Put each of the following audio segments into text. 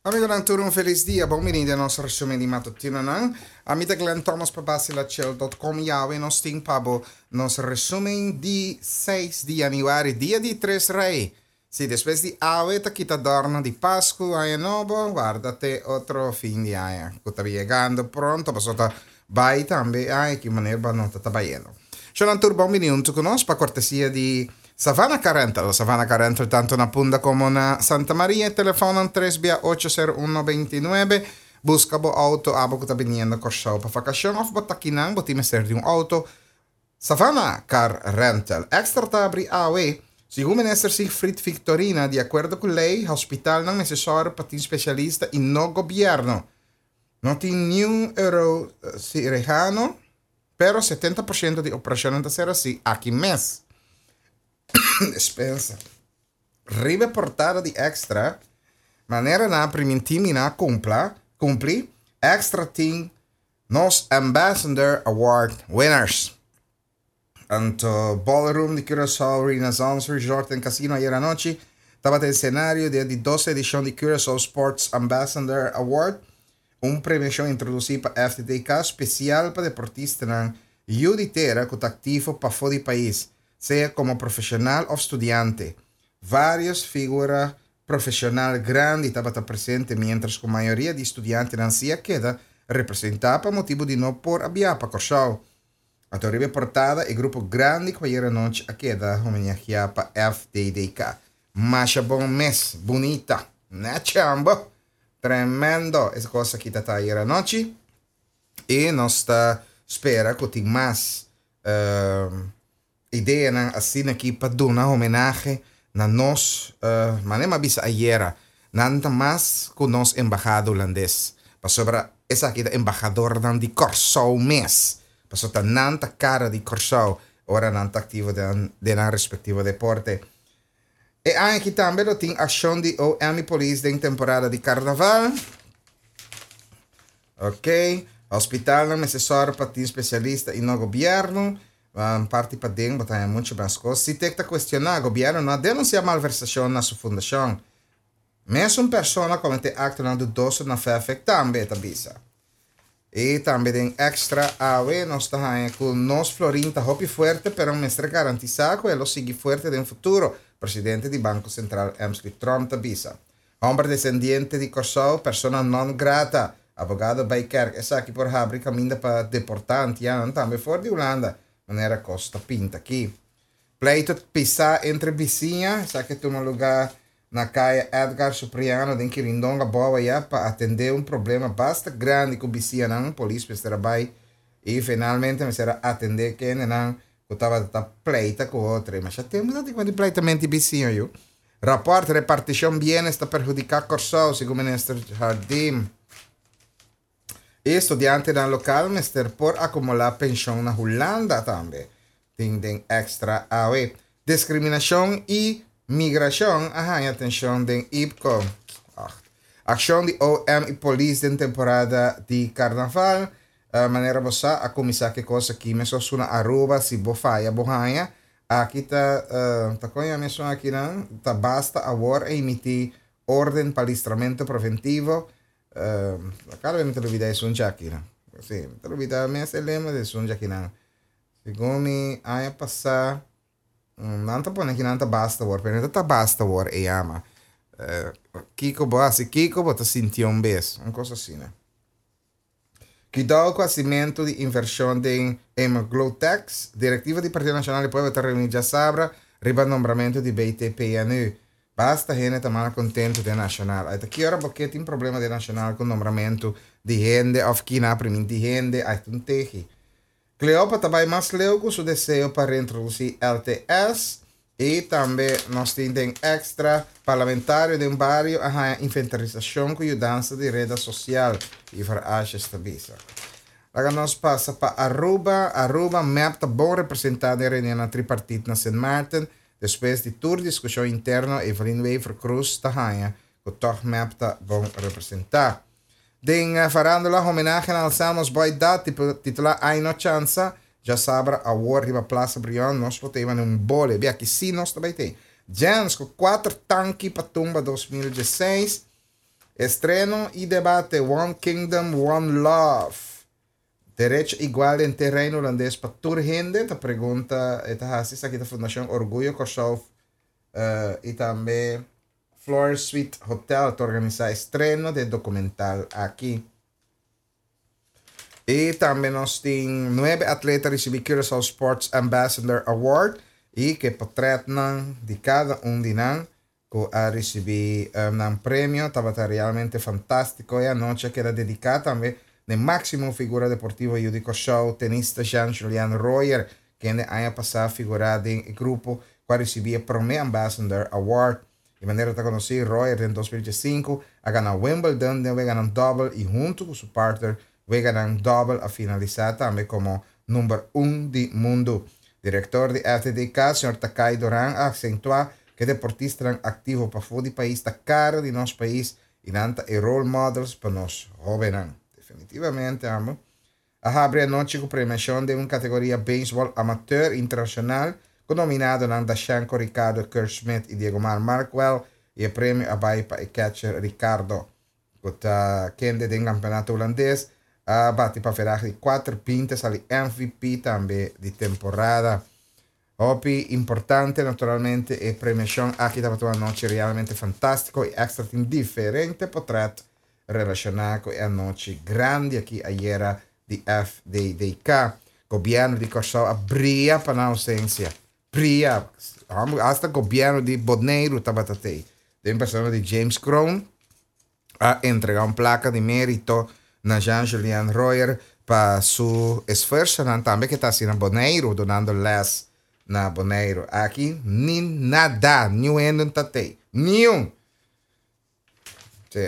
Amigonan tur un felis dia, bon bini den nos resumen di matutinonan. Ami ta Glenn Thomas pa Basilachel.com y awe nos tin pa bo nos resumen di 6 di januari, dia di Tres Rey. Si despues di awe ta kita dorno di Pascu, Aña Nobo, warda te otro fin di aña cu ta yegando pronto pasobra ta bay tambe e aña ki manera bo a nota ta bayendo. Shonan tur bon bini hunto cu nos pa cortesia di Savannah Car Rental. Savannah Car Rental tanto na Punda como na Santa Maria. E telefonnan tres bia ocho sero un noventa i nuebe. Busca bo auto abo cu ta biniendo Corsou pa vacacion of bo ta kinan bo tin mester di un auto. Savannah Car Rental. Extra ta abri awe. Segun Minister Siegfried Victorina, di acuerdo cu ley, hospitalnan mester sòru pa tin specialista y no gobierno. No tin niun eurocirujano. Pero 70% di operashonnan ta ser hasi aki mes. Despensa. Riba e portada di Extra, manera nan a primintí mi nan a kumpla, kumpli, Extra tin nos Ambassador Award winners. Anto Ballroom di Curaçao Renaissance Resort and Casino ayer anochi tabata e escenario di e di dos edicion di Curaçao Sports Ambassador Award. Un premiashon introdusí pa FTTK spesial pa deportistanan yu di tera ku ta aktivo pafó di pais, sea komo profeshonal òf studiante. Vários figura profeshonal grandi tabata presente miéntras ku mayoria di studiantenan si a keda representá pa motibu di no por a biaha pa Kòrsou. Anto riba e portada e grupo grandi ku ayera nochi a keda homenageá pa FTDK. Masha bon mes, bunita. Nèchi ambo! Tremendo! E kos aki ta ta ayer anochi i nos ta spera ku tin mas ideanan asina aki pa duna homenahe na nos, manera mi a bisa ayera, nan ta mas ku nos embahada hulandes, pasobra esaki ta embahadornan di Kòrsou mes, pasobra ta nan ta kara di Kòrsou ora nan ta aktivo den nan respektivo deporte. E aña aki tambe lo tin akshon di OM i polis den temporada di karnaval. Ok, hospitalnan mester sòru pa tin spesialista i no gobièrnu. Parti paden bo ta haña muchu mas kos. Sitek ta kuestioná, gobièrnu no a denunsiá malversashon na su fundashon. Mesun persona kometé aktonan dudoso na Fefek tambe, e ta bisa. I tambe den Extra awe nos ta haña ku nos florin ta hopi fuerte pero mester garantisá ku e lo sigui fuerte den futuro, presidente di Banko Sentral Emsley Tromp ta bisa. Hòmber desendiente di Kòrsou, persona non grata, abogado Bijkerk, esaki por habri kaminda pa deportá antianonan tambe for di Hulanda, manera kos ta pinta aki. Pleito pisá entre bisiña, esaki a tuma lugá na Kaya Edgar Supriano den Kirindonga Bowa ya pa atendé un problema basta grandi ku bisiñanan, polis mester a bai i finalmente mester a atendé kendenan ku tabata ta pleita ku otro. I masha tempu ta tin ku di pleitamento di bisiña yu. Rapòrt repartishon bienes ta perhudiká Kòrsou, segun minister Jardim. E studiantenan lokal mester por akumulá penshon na Hulanda tambe, tin den Extra awe. Diskriminashon i migrashon a haña atenshon den IPKO. Akshon di OM i polis den temporada di karnaval. Manera bo sa a kuminsá ku e kos aki mesun na Aruba si bo faya bo haña. Aki ta ta kon yama esun akinan ta basta awor a emití orden pa listramentu preventivo. Cada vez mi ta lubida esun djakinan. Sí, mi ta lubida mes e lema di esun djakinan. Segun mi aña pasá, nan ta pone kinan ta basta awor, pero no ta basta awor e yama. Kiko bo hasi kiko bo ta sinti un bes, un kos asina. Kidou ku hasimentu di invershon den Emglotex, Direktiva di Partido Nashonal di Pueblo ta reuní djasabra riba nombramentu di BTPNU. Basta hende ta mal kontentu den Nashonal. Ai ta ki ora bo ke tin problema den Nashonal ku nombramentu di hende òf kina a primintí hende, ai ta un tehi. Cleopa ta bai mas leu ku su deseo pa reintrodusí LTS i tambe nos tin den extra, Parlamentario den bario a haña inventarisashon ku yudansa di reda sosial, Ivar Asjes ta bisa. Laga nos pasa pa Aruba. Aruba, mep ta bon representá den reunionnan tripartit na Sint Maarten. Despues di tur diskushon interno Evelyn Wever-Croes ta haña ku tòg mep ta bon representá. Den farándula homenahe na Alzamos Boy Dat titulá Ay No Chansa, djasabra awor riba Plaza Brion nos lo ta iba na un bole, bia ki si nos ta bai tei. Jens ku kuater tanki pa tumba 2016. Estreno i debate One Kingdom, One Love. Derecho igual den te Reino Hulandes pa tur hende? Ta pregunta e ta hasi. Esaki ta Fundashon Orguyo Kòrsou i tambe Floor Suite Hotel ta organisá estreno di e dokumental aki. I tambe nos tin nuebe atleta risibí Curaçao Sports Ambassador Award i ku e potrètnan di kada un di nan ku a risibí nan premio. Tabata realmente fantástiko. E anochi a keda dediká tambe na e máksimo figura deportivo yu di Kòrsou, tenista Jean Julian Rojer, kende aña pasá a figurá den e grupo ku a risibí e promé Ambassador Award. Di manera ta konosí, Rojer den 2015 a gana Wimbledon den weganan dòbel i huntu ku su partner weganan dòbel a finalisá tambe komo number un di mundu. Direktor di FDDK, señor Takai Doran a aksentuá ku e deportistanan aktivo pafó di pais ta kara di nos pais i nan ta e role models pa nos hóbennan. Definitivamente amo a habri anochi ku premiashon den un kategoria beisbòl amateur internashonal ku nominadonan Dashenko Ricardo Kurt Smith i Diegomar Markwell i e premio a bai pa e catcher Ricardo. Ku ta kende den kampeonato hulandes a bati pa verahe di kuater binti a sali MVP tambe di temporada. Hopi importante naturalmente e premiashon aki tabata un anochi realmente fantástiko i Extra tin diferente potret relashoná ku e anochi grandi aki ayera di FDDK. Gobièrnu di Kòrsou a bria pa nan ousensia. Bria! Hasta gobièrnu di Boneiru tabata tei. Den persona di James Kroon a entrega un plaka di merito na Jean Julien Royer pa su esfuersonan tambe ke ta hasi na Boneiru dunando les na Boneiru. Aki ni nada, niun hende no ta tei. Niun! Sí.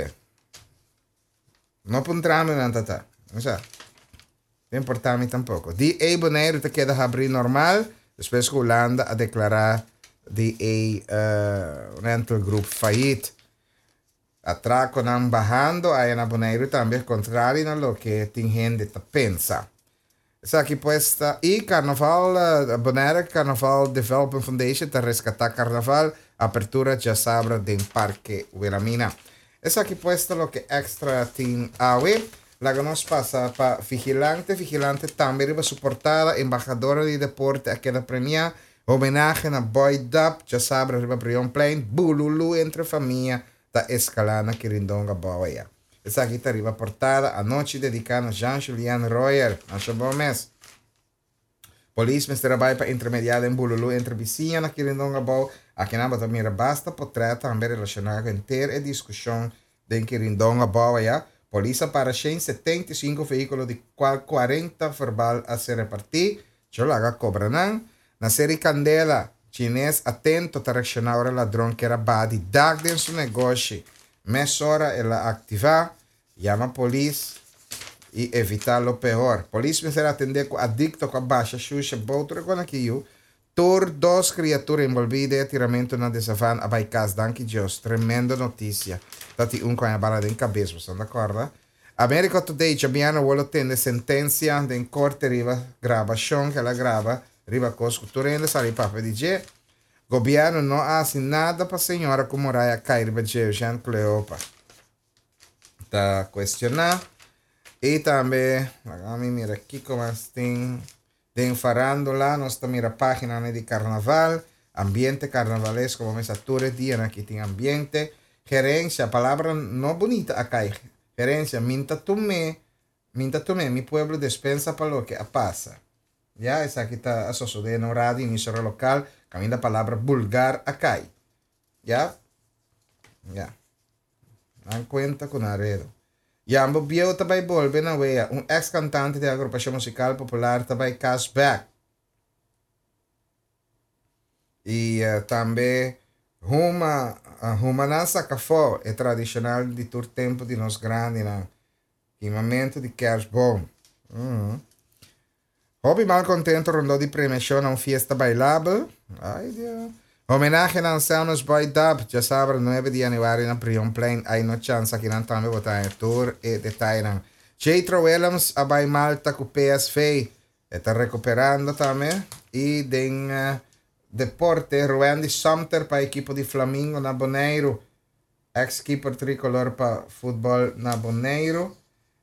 No puntra mi nan ta ta. No sa. No importa mi tampoco. Di e Boneiru ta keda habri normal despues ku Hulanda a deklará di e rental group fayit. Atrakonan bahando aya na Boneiru tambe kontrari na loke tin hende ta pensa. Esaki pues ta y Carnaval, Bonaire Carnaval Development Foundation ta rescata Carnaval, apertura djasabra den Parke Wilhelmina. Esaki pues ta loke Extra tin awe. Laga nos pasa pa Vigilante. Vigilante tambe riba su portada, embahadora di deporte a keda premia, homenahe na Boy Dap djasabra riba Brionplein, bululu entre famia ta escala na Kirindonga Bouwaya. Esaki ta riba portada anochi dediká na Jean Julien Royer. Masha bon mes. Polis mester a bai pa intermediá den bululú entre bisiña na Kirindonga Abou. Akinan bo ta mira basta potrèt tambe relashoná ku henter e diskushon den Kirindonga Abou aya. Polis a para 175 vehíkulo di kual 40 verbal a ser repartí. Djo laga kobra nan. Na Seri Kandela, Chines atento ta reakshoná ora ladron kier a baha di dak den su negoshi. Mesora el a aktivá, yama polis i evitá lo pehor. Polis mester atendé ku adikto ku a basha shusha bou tur e kona ki yu. Tur dos kriatura enbolbí den e tiramentu na De Savan a bai kas, danki Dios. Tremendo notisia. Ta tin un ku haña bala den kabes, boso no ta kòrda? America Today djabièrnè wou lo tende sentensia den korte riba grabashon ku el a graba riba kos ku tur hende sali papia di dje. Gobièrnu no a hasi nada pa señora ku muraya a kai riba dje, Eugène Cleopa ta kuestioná. I tambe, laga mi mira kiko mas tin den farándula, nos ta mira páginanan di karnaval, ambiente karnavalesko, bo mester tur e dianan aki tin ambiente. Gerensia, palabra no bunita a kai, gerensia, min ta tum'é Min ta tum'é mi pueblo despensa pa loke a pasa. Ya, esaki ta a sosodé na un radio emisora lokal kaminda palabra bulgar a kai. Ya? Ya. Nan kuenta ku nan redo. Yambo bieu ta bai bolbe na wea. Un eks kantante di agrupashon musikal popular ta bai kas bèk. I tambe huma, huma nan saka afó, e tradishonal di tur tempu di nos grandinan. Kimamentu di kerstboom. Hopi malcontento rondó di premiacion na un fiesta bailabel. Ay Dios. Homenahe na Anselmus Boy Dub, djasabra 9 di januari na Brionplein. Ay no chance akinan tambe bo ta haña tur e detayenan. Jethro Willems a bai Malta ku PSV. E ta recuperando tambe. I den deporte, Ruendy Sumter pa ekipo di Flamingo na Boneiru. Ex keeper tricolor pa futbòl na Boneiru.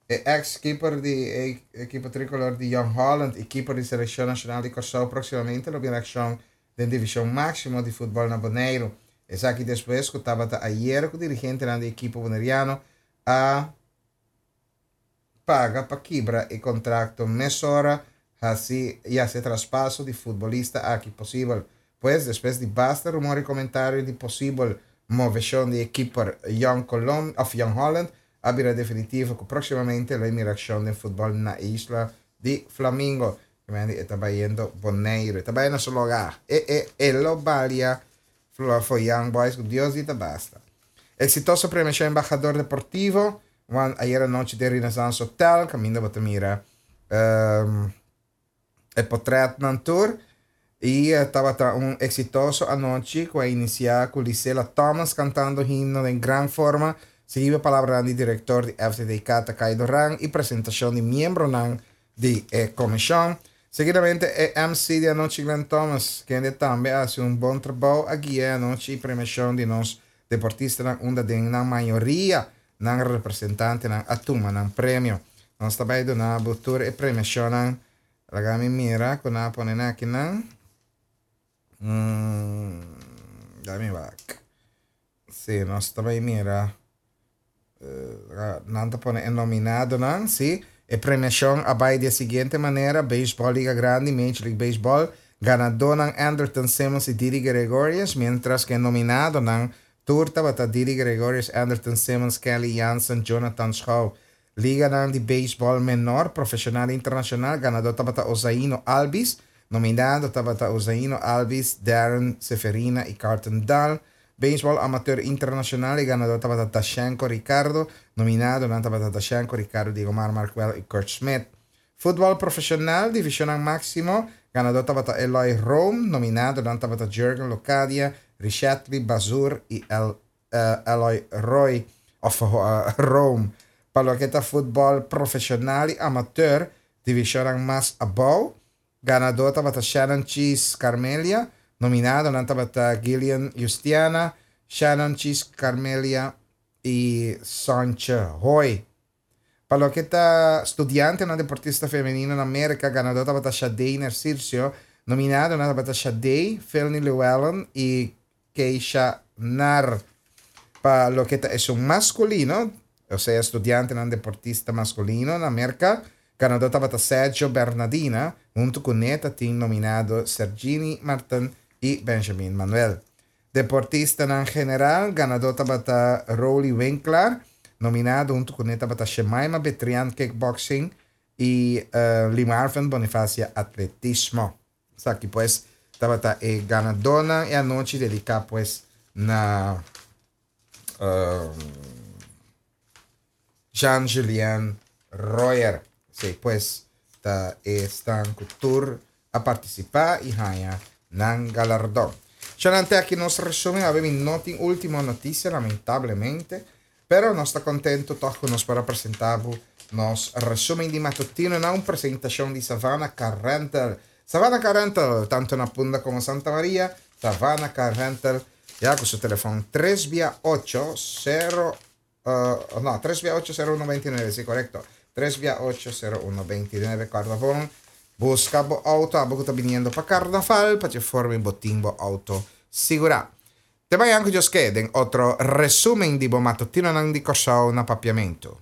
E ex keeper di e ekipo tricolor di Jong Holland i keeper di selekshon nashonal di Kòrsou próksimamente lo bira akshon den divishon máksimo di futbòl na Boneiru. Esaki despues ku tabata ayer ku dirigentenan di ekipo boneriano a paga pa kibra e kontrakto mesora hasi i hasi e traspaso di futbolista aki posibel. Pues, despues di basta rumor i komentario di posibel moveshon di e keeper Jong Colom of Jong Holland a bira definitivo ku próksimamente lo e mira akshon den futbòl na e isla di Flamingo. Kimendi e ta bayendo Boneiru. E ta bai na su lugá. E e e lo balia Flor for Young Boys ku Dios di ta basta. Eksitoso premiashon Embahador Deportivo wan ayer anochi den Renaissance Hotel kaminda bo ta mira e potretnan tur i tabata un eksitoso anochi ku a inisiá ku Lisela Thomas kantando himno den gran forma sigui pa palabranan di direktor di FTDK Takay Doran i presentashon di miembronan di e komishon. Seguidamente e MC di anochi Glenn Thomas, kende tambe a hasi un bon trabou, a guia e anochi i premiashon di nos deportistanan unda den nan mayoria nan representantenan a tuma nan premio. Nos ta bai duna bo tur e premiashonnan. Laga mi mira ku nan a pone nan akinan. Laga mi wak. Sí, nos ta bai mira. Nan ta pone e nominadonan, sí. E premiashon a bai di e siguiente manera, Beisbòl Liga Grandi, Major League Baseball, ganadónan Andrelton Simmons i Didi Gregorius, miéntras ku e nominadonan tur tabata Didi Gregorius, Andrelton Simmons, Kenley Jansen, Jonathan Schouw. Liganan di beisbòl menor, profeshonal i internashonal, ganadó tabata Ozaino Albies, nominado tabata Ozaino Albies, Darren Seferina i Carlton Dahl. Beisbòl amateur internashonal, e ganadó tabata Dashenko Ricardo, nominadonan tabata Dashenko Ricardo, Diegomar Markwell i Kurt Smith. Futbòl profeshonal, divishonnan máksimo, ganadó tabata Eloy Room, nominadonan tabata Jurgen Locadia, Richetly Bazur i El Eloy Roy of Rome. Pa loke ta futbòl profeshonal i amateur, divishonnan mas abou, ganadó tabata Shannon Cheese Carmelia, nominadonan tabata Gillian Justiana, Shannon Cheese Carmelia i Sontje Hoy. Pa loke ta studiantenan deportista femenino na Merka, ganadó tabata Shadey Narciso, nominadonan tabata Shadey, Felny Llewellyn i Keisha Nar. Pa loke ta esun maskulino, osea studiantenan deportista maskulino na Merka, ganadó tabata Sergio Bernadina, huntu kuné ta tin nominado Sergini Martin i Benjamin Manuel. Deportistanan general, ganadó tabata Roly Winklaar, nominado huntu kuné tabata Shemaima Betrian, kickboxing, i Limarvin Bonifacia, atletismo. Esaki pues tabata e ganadónan e anochi dediká pues na Jean Julien Royer. Esei pues ta esnan ku tur a partisipá i haña nan galardon. Shonnan te aki nos resumen. Awe mi no tin ultimo notisia lamentablemente, pero nos ta contento tog ku nos por a presenta bo nos resumen di matutino na un presentacion di Savannah Car Rental. Savannah Car Rental, tanto na Punda como Santa Maria, Savannah Car Rental ya ku su telefon tres bia ocho sero no, tres bia ocho sero uno beintinuebe, si korekto, tres bia ocho sero uno beintinuebe, kòrda bon, buska bo outo abo ku ta biniendo pa karnaval pa dje forma bo tin bo outo sigurá. Te mañan ku Dios ke den otro resumen di bo matutinonan di Kòrsou na Papiamentu.